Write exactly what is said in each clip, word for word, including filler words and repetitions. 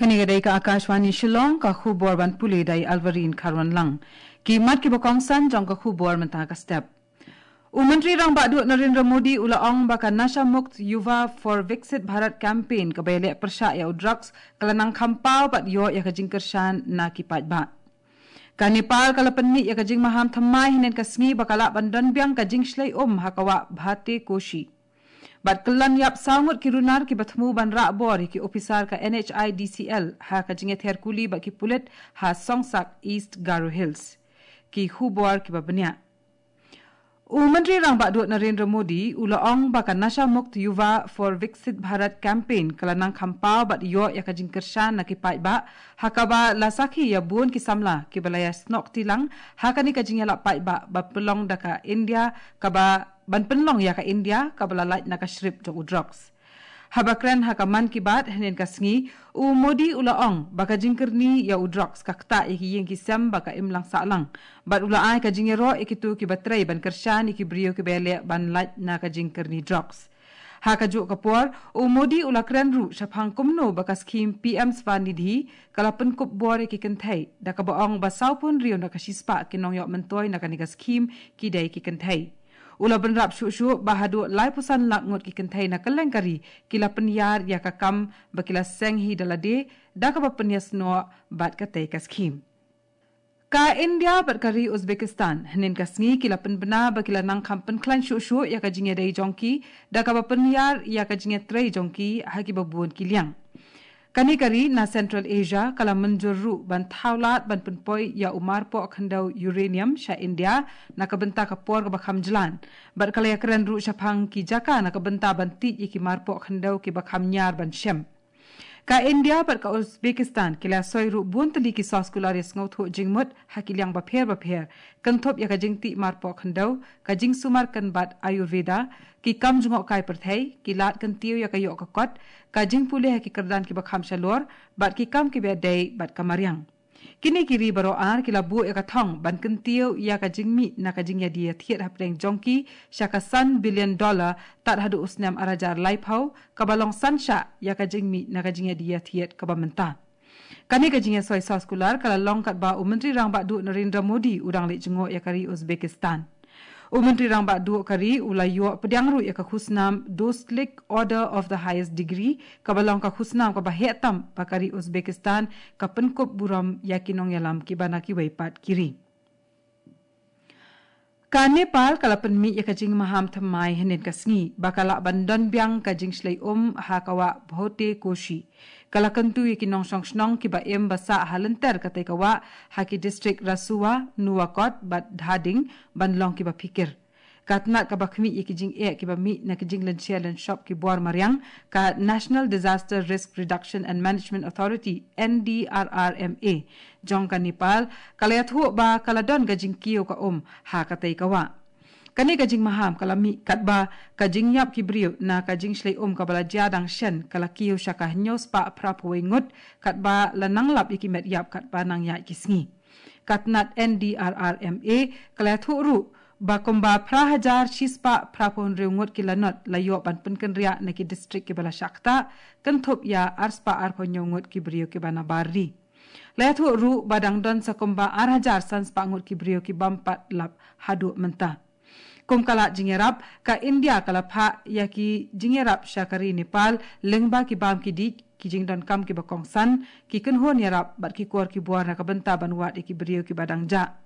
Kane ka dei ka Akashvani Shillong, ka khubor ban pule da i Alvarin Kharwanlang. Ki mat kiba kongsan jong ka khubor mynta ka step. U Myntri Rangbah Duh Narendra Modi u la ong ba ka Nasha Mukt Yuva for Viksit Bharat campaign kaba ïaleh pyrshah ïa u drugs ka la nang kham paw bad ïoh ïa ka jingkyrshan na ki paidbah. Ka Nepal ka la pynmih ïa ka jingmaham thymmai hynnin ka sngi ba ka lah ban don biang ka jingshlei um ha ka wah Bhate Koshi. Bad kyllon ïap saw ngut ki runar kiba thmu ban rah bor ïa ki ophisar ka N H I D C L ha ka jingïathiar kuli bad ki pulit ha Songsak, East Garo Hills. Ki khubor kiba bniah. U Myntri Rangbah Duh Narendra Modi u la ong ba ka Nasha Mukt Yuva for Viksit Bharat campaign ka la nang kham paw bad ïoh ïa ka jingkyrshan na ki paidbah, ha kaba la sakhi ïa bun ki samla kiba la ïasnoh kti lang ha kane ka jingïalap paidbah ba pynlong da ka India kaba ban pynlong ïa ka India kaba la lait na ka shrip jong u drugs. Haba kren ha ka Mann Ki Baat hynnin ka sngi, u Modi u la ong ba ka jingkyrni ïa u drugs ka ktah ïa ki ïing ki sem ba ka imlang sahlang. Bad u la ai ka jingïaroh ïa kito kiba trei ban kyrshan ïa ki briew kiba ïaleh ban lait na ka jingkyrni drugs. Ha kajuh ka por, u Modi u la kren ruh shaphang kumno ba ka skhim P M Swanidhi ka la pynkup bor ïa ki kynthei, da kaba ong ba sawphew hynriew na ka shispah ki nongïoh myntoi na kane ka skhim ki dei ki kynthei. U la bynrap shuh shuh ba haduh laiphew san lak ngut ki kynthei na kylleng ka ri ki la pynïar ïa ka kam ba ki la seng hi da lade, da kaba pynïasnoh bad katei ka skhim. Ka India bad ka ri Uzbekistan hynnin ka sngi ki la pynbna ba ki la nang kham pynkhlaiñ shuh shuh ïa ka jingïadei jong ki, da kaba pynïar ïa ka jingïatrei jong ki ha kiba bun ki liang. Kane ka ri na Central Asia ka la mynjur ruh ban thaw lad ban pynpoi ïa u marpoh khyndew uranium sha India na ka bynta ka por kaba kham jlan. Bad ka la ïakren ruh shaphang ki jaka na ka bynta ban tih ïa ki marpoh khyndew kiba kham ñiar ban shem. Ka India bad ka Uzbekistan ki la soi ruh bun tylli ki soskular ïasngewthuh jingmut ha ki liang bapher bapher, kynthup ïa ka jingtih marpoh khyndew, ka jingsumar kynbat Ayurveda, ki kam jngohkai pyrthei, ki lad kyntiew ïa ka ïoh ka kot, ka jingpule ha ki kyrdan kiba kham shalor, bad ki kam kiba dei bad ka mariang. Kine ki ri baroh ar ki la buh ïa ka thong ban kyntiew ïa ka jingmih na ka jingïadie ïathied hapdeng jong ki sha ka san billion dollar tad haduh u snem ar hajar laiphew, kaba long san shah ïa ka jingmih na ka jingïadie ïathied kaba mynta. Kane ka jingïasoi soskular ka la long katba u Myntri Rangbah Duh Narendra Modi u dang leit jngoh ïa ka ri Uzbekistan. U Myntri Rangbah Duh ka ri u la ïoh pdiang ruh ïa ka khusnam Dostlik Order of the Highest Degree, kaba long ka khusnam kaba heh tam ba ka ri Uzbekistan ka pynkup burom ïa ki nongïalam kiba na kiwei pat ki ri. Ka Nepal ka la pynmih ïa ka jingmaham thymmai hynnin ka sngi ba ka lah ban don biang ka jingshlei um ha ka wah Bhote Koshi. Ka la kyntu ïa ki nongshong shnong kiba im ba sah ha lynter katei ka wah ha ki distrik Rasuwa, Nuwakot bad Dhading ban long kiba phikir. Ka tnat kaba khmih ïa ki jingeh kiba mih na ki jinglynshai lynshop ki bor mariang, ka National Disaster Risk Reduction and Management Authority, N D R R M A, jong ka Nepal ka la ïathuh ba ka la don ka jingkiew ka um ha katei ka wah. Kane ka jingmaham ka la mih katba ka jingïap ki briew na ka jingshlei um kaba la jia dang shen ka la kiew sha ka hynñiew spah phra phew wei ngut, katba la nang lap ïa ki met ïap katba nang ïaid ki sngi. Ka tnat N D R R M A ka la ïathuh ruh ba kumba phra hajar shi spah phra phew hynriew ngut ki lanot la ïoh ban pynkynriah na ki distrik kiba la shah ktah, kynthup ïa ar spah ar phew hynñiew ngut ki briew kiba na bar ri. La ïathuh ruh ba dang don sa kumba ar hajar san spah ngut ki briew ki bym pat lap haduh mynta. Kum ka lad jingïarap, ka India ka la phah ïa ki jingïarap sha ka ri Nepal lyngba ki bam ki dih, ki jingdonkam kiba kongsan, ki kynhun ïarap bad ki kor ki bor na ka bynta ban wad ïa ki briew kiba dang jah.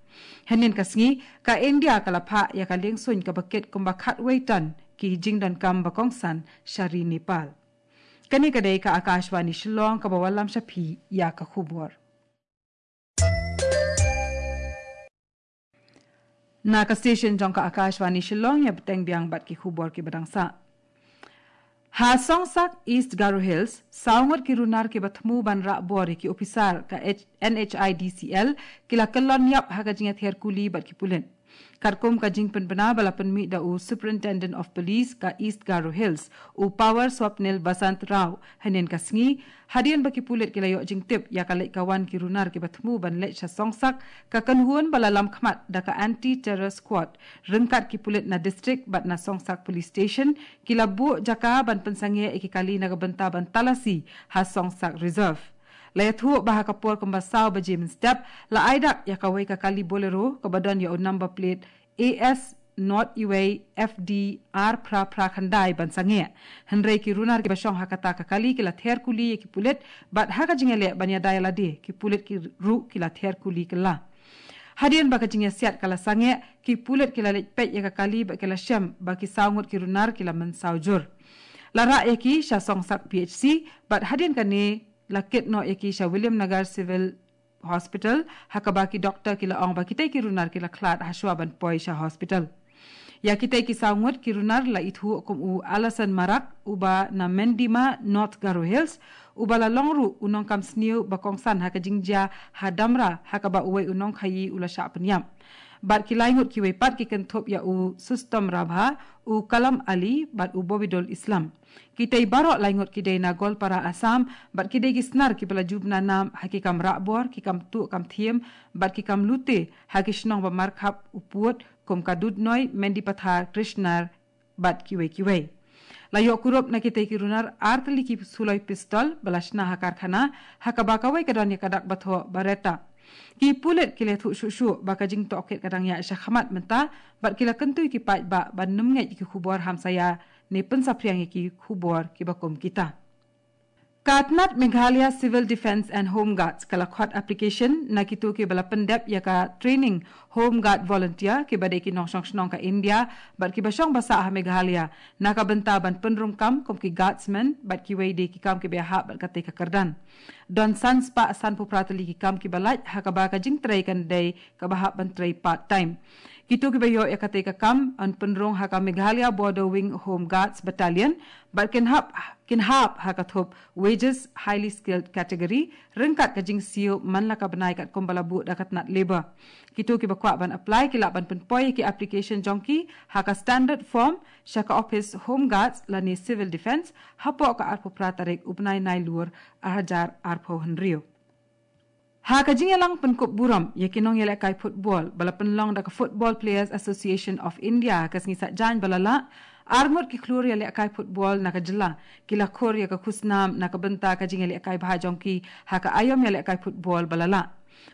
Hynnin ka sngi, ka India ka la phah ïa ka liengsuiñ kaba kit kumba khatwei ton ki jingdonkam ba kongsan sha ri Nepal. Kane ka dei ka Akashvani Shillong kaba wallam sha phi ïa ka khubor. Na ka station jong ka Akashvani Shillong, ïa bteng biang bad ki khubor kiba dang sah. Ha Songsak, East Garo Hills, saw ngut ki runar kiba thmu ban rah bor ïa ki ophisar ka H-, N H I D C L ki la kyllon ïap ha ka jingïathiar kuli bad ki pulit. Katkum ka jingpynbna ba la pynmih da u Superintendent of Police ka East Garo Hills, u Power Swapnil Basant Rao, hynnin ka sngi, hadien ba ki pulit ki la ïoh jingtip ïa ka leit ka wan ki runar kiba thmu ban leit sha Songsak, ka kynhun ba la lam khmat da ka Anti Terror Squad, ryngkat ki pulit na distrik bad na Songsak Police Station, ki la buh jaka ban pynsangeh ïa ki kali na ka bynta ban talasi ha Songsak Reserve. La ïathuh ba ha ka por kumba saw baje mynstep, la ai dak ïa kawei ka kali Bolero kaba don ïa u number plate A S not iwei F D ar phra phra khyndai ban sangeh. Hynrei ki runar kiba shong ha kata ka kali ki la ther kuli ïa ki pulit, bad ha ka jingïaleh ban ïada ïalade, ki pulit ki ruh ki la ther kuli kylla. Hadien ba ka jingïasiat ka la sangeh, ki pulit ki la leit peit ïa ka kali bad ki la shem ba ki saw ngut ki runar ki la mynsaw jur. La rah ïa ki sha Songsak P H C, bad hadien kane la kit noh ïa ki sha Williamnagar Civil Hospital, ha kaba ki doktor ki la ong ba kitei ki runar ki la khlad hashwa ban poi sha hospital. Ïa kitei ki saw ngut ki runar la ithuh kum u Alasan Marak, uba na Mendima, North Garo Hills, uba la long ruh u nongkam sniew ba kongsan ha ka jingjia ha Damra, ha kaba uwei u nongkhaïi u la shah pynïap. Bad ki lai ngut kiwei pat ki kynthup ïa u Sustom Rabha, u Kalam Ali, bad u Bobidol Islam. Kitei baroh lai ngut ki dei na Goalpara, Assam, bad ki dei ki snar kiba la ju bna nam ha ki kam rahbor, ki kam tuh kam thiem, bad ki kam lute ha ki shnong ba markhap u pud, kum ka Dudnoi, Mendipathar, Krishnar, bad kiwei kiwei. La ïoh kurup na kitei ki runar ar tylli ki suloi pistol ba la shna ha karkhana, ha kaba kawei ka don ïa ka dak ba thoh Beretta. Ki pulit ki la ïathuh shuh shuh ba ka jingtohkit ka dang ïaid shakhmat mynta, bad ki la kyntu ïa ki paidbah ban nym ngeit ïa ki khubor hamsaïa ne pynsaphriang ïa ki khubor kiba kum kita. Ka tnat Meghalaya Civil Defence and Home Guards ka la khot application na kito kiba la pyndep ïa ka training Home Guard Volunteer kiba dei ki nongshong shnong ka India bad kiba shong ba sah ha Meghalaya, na ka bynta ban pynrung kam kum ki guardsmen bad kiwei de ki kam kiba ïahap bad katei ka kyrdan. Don san spah sanphew phra tylli ki kam kiba lait, ha kaba ka jingtrei kan dei kaba hap ban trei part time. Kito kiba ïoh ïa katei ka kam yn pynrung ha ka Meghalaya Border Wing Home Guards Battalion, bad kin hap, kin hap ha ka thup wages highly skilled category, ryngkat ka jingsiew man la ka bnai katkum ba la buh da ka tnat Labour. Kito kiba kwah ban apply ki lah ban pynpoi ïa ki application jong ki ha ka standard form sha ka office Home Guards lane Civil Defence hapoh ka arphew phra tarik u bnai Nailur ar hajar arphew hynriew. Ha ka jingïalang pynkup burom ïa ki nongïalehkai football ba la pynlong da ka Football Players Association of India ka sngi Saitjaiñ ba la lah, ar ngut ki khlur ïalehkai football na ka jylla ki la khur ïa ka khusnam na ka bynta ka jingïalehkai bha jong ki ha ka aïom ïalehkai football ba la lah.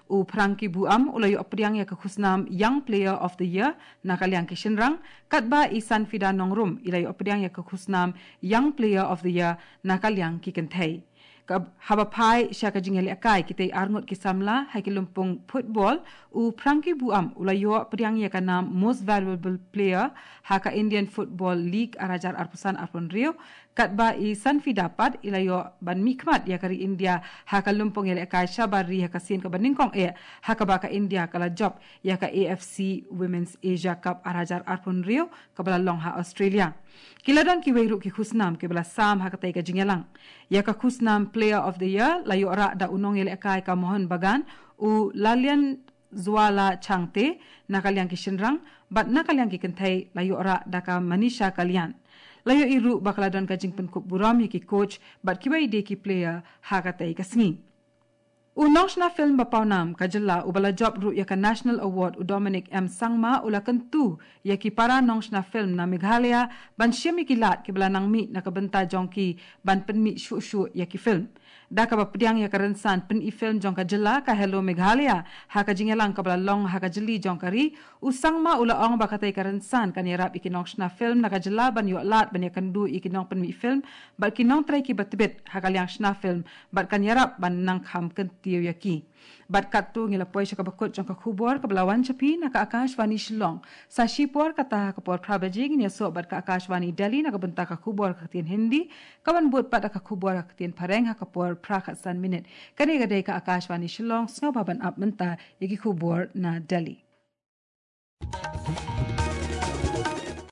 U Frankie Buam u la ïoh pdiang ïa ka khusnam Young Player of the Year na ka liang ki shynrang, katba i Sanfida Nongrum i la ïoh pdiang ïa ka khusnam Young Player of the Year na ka liang ki kynthei. Ka, haba phai sha ka jingïalehkai kitei ar ngut ki samla ha ki lympung football, u Frankie Buam u la ïoh pdiang ïa ka nam Most Valuable Player ha ka Indian Football League ar hajar arphew san arphew hynriew, katba i Sanfida pat i la ïoh ban mihkhmat ïa ka ri India ha ka lympung ïalehkai shabar ri ha ka sien kaba nyngkong eh, ha kaba ka India ka la jop ïa ka A F C Women's Asia Cup ar hajar arphew hynriew kaba la long ha Australia. Ki la don kiwei ruh ki khusnam kiba la sam ha katei ka jingïalang. Ïa ka khusnam Player of the Year la ïoh rah da u nongïalehkai ka Mohun Bagan, u Lalian Zwala Changte na ka liang ki shynrang, bad na ka liang ki kynthei la ïoh rah da ka Manisha Kalyan. La ïohi ruh ba ka la don ka jingpynkup burom ïa ki coach bad kiwei de ki player ha katei ka sngi. U nongshna film ba pawnam ka jylla uba la jop ruh ïa ka National Award, u Dominic M Sangma, u la kyntu ïa ki para nongshna film na Meghalaya ban shim ïa ki lad kiba la nang mih na ka bynta jong ki ban pynmih shuh shuh ïa ki film. Da kaba pdiang ïa ka rynsan pyni film jong ka jylla ka Hello Meghalaya ha ka jingïalang kaba la long ha ka jylli jong ka ri, u Sangma u la ong ba katei ka rynsan kan ïarap ïa ki nongshna film na ka jylla ban ïoh lad ban ïakynduh ïa ki nongpynmih film bad ki nongtrei kiba tbit ha ka liang shna film, bad kan ïarap ban nang kham kyntiew ïa ki. Bad katto ngi la poi sha kaba kut jong ka khubor kaba la wan sha phi na ka Akashvani Shillong. Sa shipor kata ha ka por phra baje ngin ïasoh bad ka Akashvani Delhi na ka bynta ka khubor ka ktien Hindi, kaban bud pat da ka khubor ka ktien Phareng ha ka por phra khatsan minit. Kane ka dei ka Akashvani Shillong, sngewbha ban ap mynta ïa ki khubor na Delhi.